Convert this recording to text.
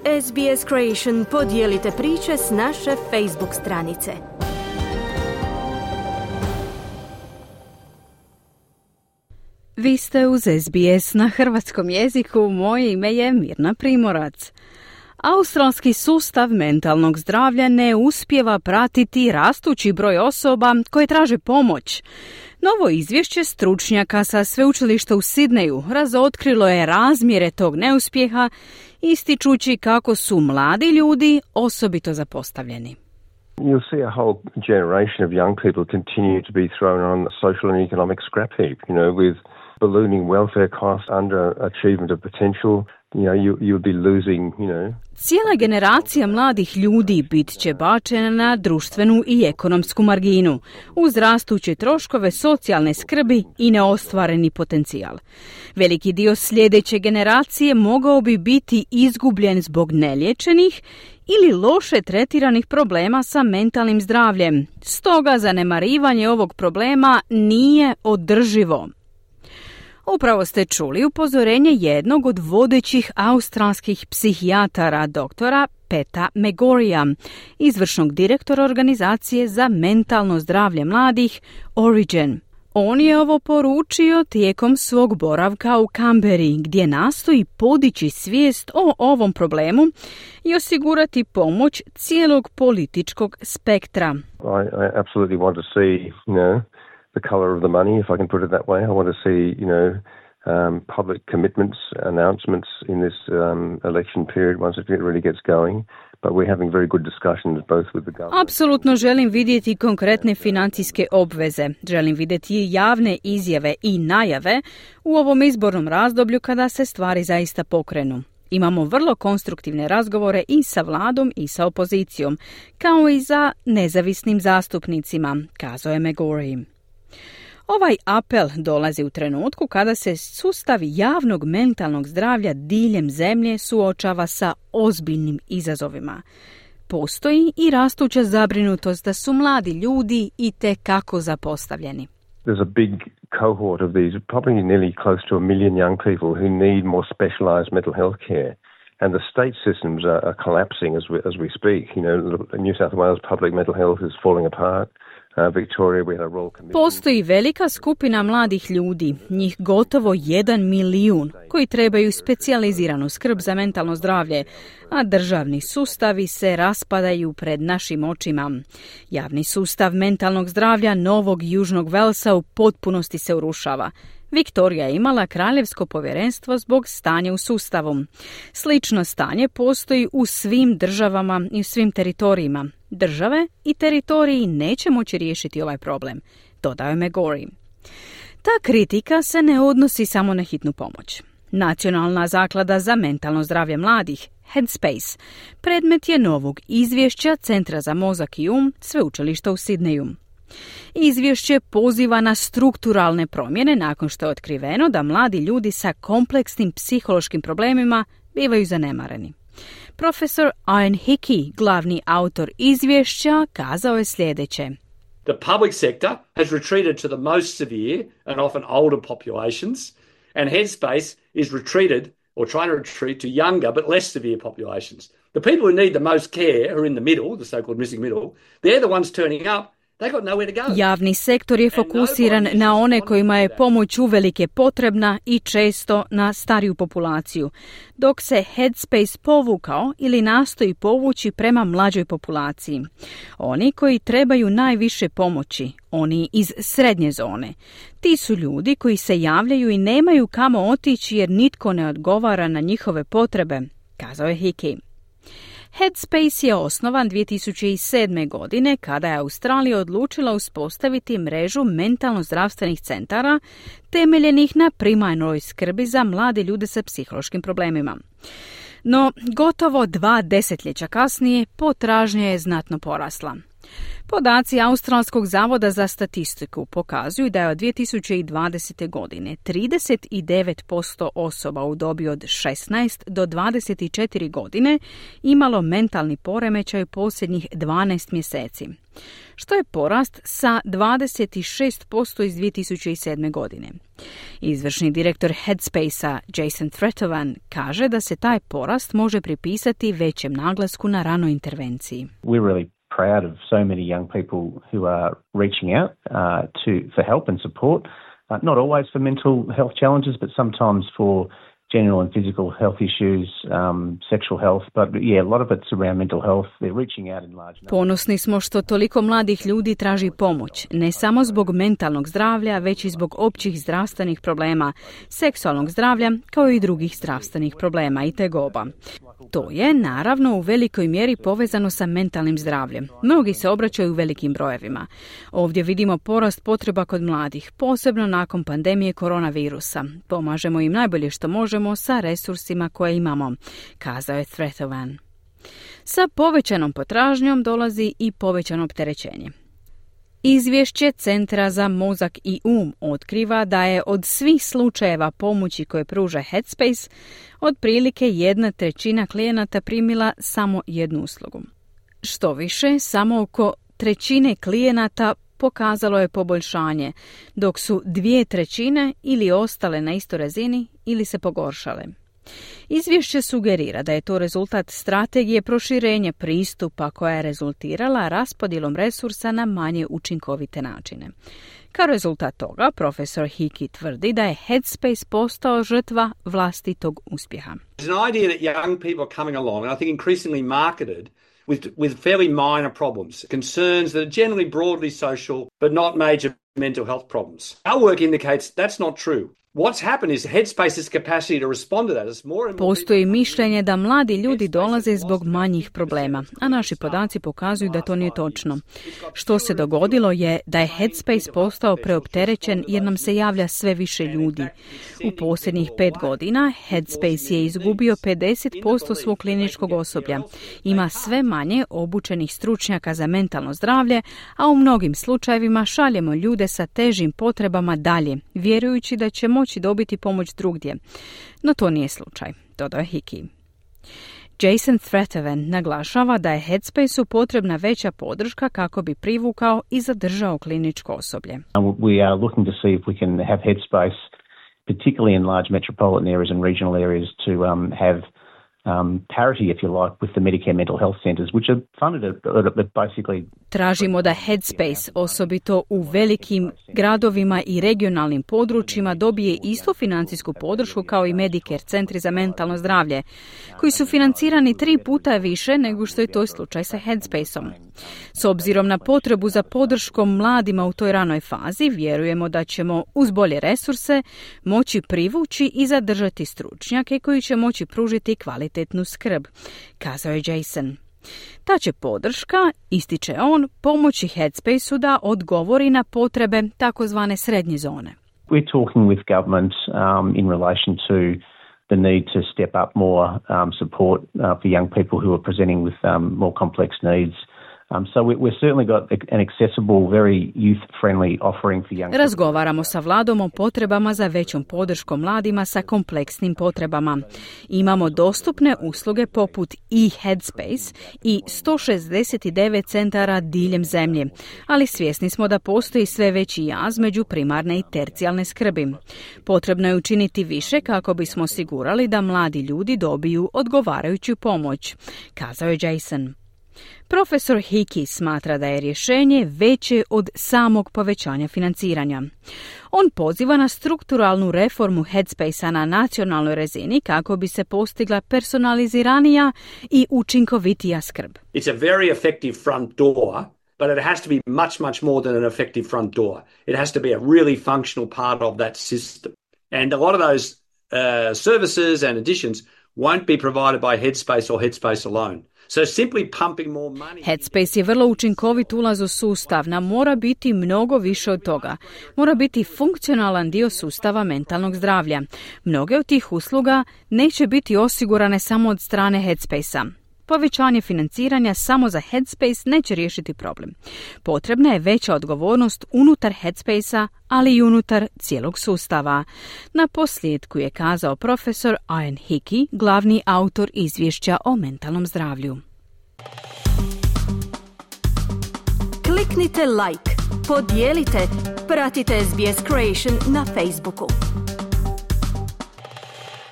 SBS Creation podijelite priče s naše Facebook stranice. Vi ste uz SBS na hrvatskom jeziku, moje ime je Mirna Primorac. Australski sustav mentalnog zdravlja ne uspijeva pratiti rastući broj osoba koje traže pomoć. Novo izvješće stručnjaka sa sveučilišta u Sidneju razotkrilo je razmjere tog neuspjeha, ističući kako su mladi ljudi osobito zapostavljeni. You'll see a whole generation of young people continue to be thrown on the social and economic scrap heap, with ballooning welfare costs, underachievement of potential. You'll be losing, Cijela generacija mladih ljudi bit će bačena na društvenu i ekonomsku marginu, uz rastuće troškove socijalne skrbi i neostvareni potencijal. Veliki dio sljedeće generacije mogao bi biti izgubljen zbog neliječenih ili loše tretiranih problema sa mentalnim zdravljem. Stoga zanemarivanje ovog problema nije održivo. Upravo ste čuli upozorenje jednog od vodećih australskih psihijatara, doktora Peta McGorrya, izvršnog direktora organizacije za mentalno zdravlje mladih Origin. On je ovo poručio tijekom svog boravka u Canberri, gdje nastoji podići svijest o ovom problemu i osigurati pomoć cijelog političkog spektra. I absolutely want to see, the colour of the money, if I can put it that way. I want to see, public commitments, announcements in this election period once it really gets going. But we're having very good discussions both with the government. Apsolutno želim vidjeti konkretne financijske obveze. Želim vidjeti javne izjave i najave u ovom izbornom razdoblju kada se stvari zaista pokrenu. Imamo vrlo konstruktivne razgovore i sa vladom i sa opozicijom, kao i za nezavisnim zastupnicima, kazao je McGorry. Ovaj apel dolazi u trenutku kada se sustav javnog mentalnog zdravlja diljem zemlje suočava sa ozbiljnim izazovima. Postoji i rastuća zabrinutost da su mladi ljudi itekako zapostavljeni. There's a big cohort of these, probably nearly close to 1 million young people who need more specialised mental health care. And the state systems are collapsing as we speak. New South Wales public mental health is falling apart. Victoria, we had a Royal Commission. Postoji velika skupina mladih ljudi, njih gotovo 1 milijun, koji trebaju specijaliziranu skrb za mentalno zdravlje, a državni sustavi se raspadaju pred našim očima. Javni sustav mentalnog zdravlja Novog Južnog Velsa u potpunosti se urušava. Viktorija je imala kraljevsko povjerenstvo zbog stanja u sustavu. Slično stanje postoji u svim državama i u svim teritorijima. Države i teritoriji neće moći riješiti ovaj problem, dodao je McGorry. Ta kritika se ne odnosi samo na hitnu pomoć. Nacionalna zaklada za mentalno zdravlje mladih, Headspace, predmet je novog izvješća Centra za mozak i sveučilišta u Sidneju. Izvješće poziva na strukturalne promjene nakon što je otkriveno da mladi ljudi sa kompleksnim psihološkim problemima bivaju zanemareni. Profesor Ian Hickey, glavni autor izvješća, kazao je sljedeće. The public sector has retreated to the most severe and often older populations, and Headspace is retreated or trying to retreat to younger but less severe populations. The people who need the most care are in the middle, the so-called missing middle. They're the ones turning up. Javni sektor je fokusiran na one kojima je pomoć uvelike potrebna i često na stariju populaciju, dok se Headspace povukao ili nastoji povući prema mlađoj populaciji. Oni koji trebaju najviše pomoći, oni iz srednje zone. Ti su ljudi koji se javljaju i nemaju kamo otići jer nitko ne odgovara na njihove potrebe, kazao je Hickey. Headspace je osnovan 2007. godine kada je Australija odlučila uspostaviti mrežu mentalno zdravstvenih centara temeljenih na primarnoj skrbi za mlade ljude sa psihološkim problemima. No, gotovo 2 desetljeća kasnije potražnja je znatno porasla. Podaci Australskog zavoda za statistiku pokazuju da je od 2020. godine 39% osoba u dobi od 16 do 24 godine imalo mentalni poremećaj posljednjih 12 mjeseci, što je porast sa 26% iz 2007. godine. Izvršni direktor Headspace-a Jason Tretovan kaže da se taj porast može pripisati većem naglasku na ranoj intervenciji. We're really proud of so many young people who are reaching out for help and support, not always for mental health challenges, but sometimes for general and physical health issues, sexual health, but yeah, a lot of it's around mental health. They're reaching out in large numbers. Ponosni smo što toliko mladih ljudi traži pomoć, ne samo zbog mentalnog zdravlja, već i zbog općih zdravstvenih problema, seksualnog zdravlja, kao i drugih zdravstvenih problema i tegoba. To je, naravno, u velikoj mjeri povezano sa mentalnim zdravljem. Mnogi se obraćaju u velikim brojevima. Ovdje vidimo porast potreba kod mladih, posebno nakon pandemije koronavirusa. Pomažemo im najbolje što možemo sa resursima koje imamo, kazao je Tretovan. Sa povećanom potražnjom dolazi i povećano opterećenje. Izvješće Centra za mozak i otkriva da je od svih slučajeva pomoći koje pruža Headspace, otprilike 1/3 klijenata primila samo jednu uslugu. Što više, samo oko 1/3 klijenata pokazalo je poboljšanje, dok su 2/3 ili ostale na istoj razini ili se pogoršale. Izvješće sugerira da je to rezultat strategije proširenja pristupa koja je rezultirala raspodjelom resursa na manje učinkovite načine. Kao rezultat toga, profesor Hickey tvrdi da je Headspace postao žrtva vlastitog uspjeha. There's an idea that young people are coming along, and I think increasingly marketed with fairly minor problems, concerns that are generally broadly social but not major mental health problems. Our work indicates that's not true. What's happened is Headspace's capacity to respond to that is more and more. Postoji mišljenje da mladi ljudi dolaze zbog manjih problema, a naši podaci pokazuju da to nije točno. Što se dogodilo je da je Headspace postao preopterećen jer nam se javlja sve više ljudi. U posljednjih 5 godina Headspace je izgubio 50% svog kliničkog osoblja. Ima sve manje obučenih stručnjaka za mentalno zdravlje, a u mnogim slučajevima šaljemo ljude sa težim potrebama dalje, vjerujući da će moći dobiti pomoć drugdje. No to nije slučaj, dodao Hickey. Jason Tretovan naglašava da je Headspace-u potrebna veća podrška kako bi privukao i zadržao kliničko osoblje. We are looking to see if we can have Headspace, particularly in large metropolitan areas and regional areas, to have parity, if you like, with the Medicare mental health centers, which are funded at basically. Tražimo da Headspace, osobito u velikim gradovima i regionalnim područjima, dobije istu financijsku podršku kao i Medicare centri za mentalno zdravlje, koji su financirani 3 puta više nego što je to slučaj sa Headspaceom. S obzirom na potrebu za podrškom mladima u toj ranoj fazi, vjerujemo da ćemo uz bolje resurse moći privući i zadržati stručnjake koji će moći pružiti kvalitetnu skrb, kazao je Jason. Ta će podrška, ističe on, pomoći Headspace-u da odgovori na potrebe takozvane srednje zone. We're talking with government in relation to the need to step up more support for young people who are presenting with more complex needs. So we've certainly got an accessible, very youth-friendly offering for young people. Razgovaramo sa vladom o potrebama za većom podrškom mladima sa kompleksnim potrebama. Imamo dostupne usluge poput e-Headspace i 169 centara diljem zemlje, ali svjesni smo da postoji sve veći jaz među primarne i tercijalne skrbi. Potrebno je učiniti više kako bismo osigurali da mladi ljudi dobiju odgovarajuću pomoć, kazao je Jason. Profesor Hickey smatra da je rješenje veće od samog povećanja financiranja. On poziva na strukturalnu reformu Headspace-a na nacionalnoj razini kako bi se postigla personaliziranija i učinkovitija skrb. It's a very effective front door, but it has to be much, much more than an effective front door. It has to be a really functional part of that system. And a lot of those services and additions won't be provided by Headspace or Headspace alone. So simply pumping more money. Headspace je vrlo učinkovit ulaz u sustav, nam mora biti mnogo više od toga. Mora biti funkcionalan dio sustava mentalnog zdravlja. Mnoge od tih usluga neće biti osigurane samo od strane Headspace-a. Povećanje financiranja samo za Headspace neće riješiti problem. Potrebna je veća odgovornost unutar Headspacea, ali i unutar cijelog sustava. Na posljedku je kazao profesor Ian Hickey, glavni autor izvješća o mentalnom zdravlju. Kliknite like, podijelite, pratite SBS Creation na Facebooku.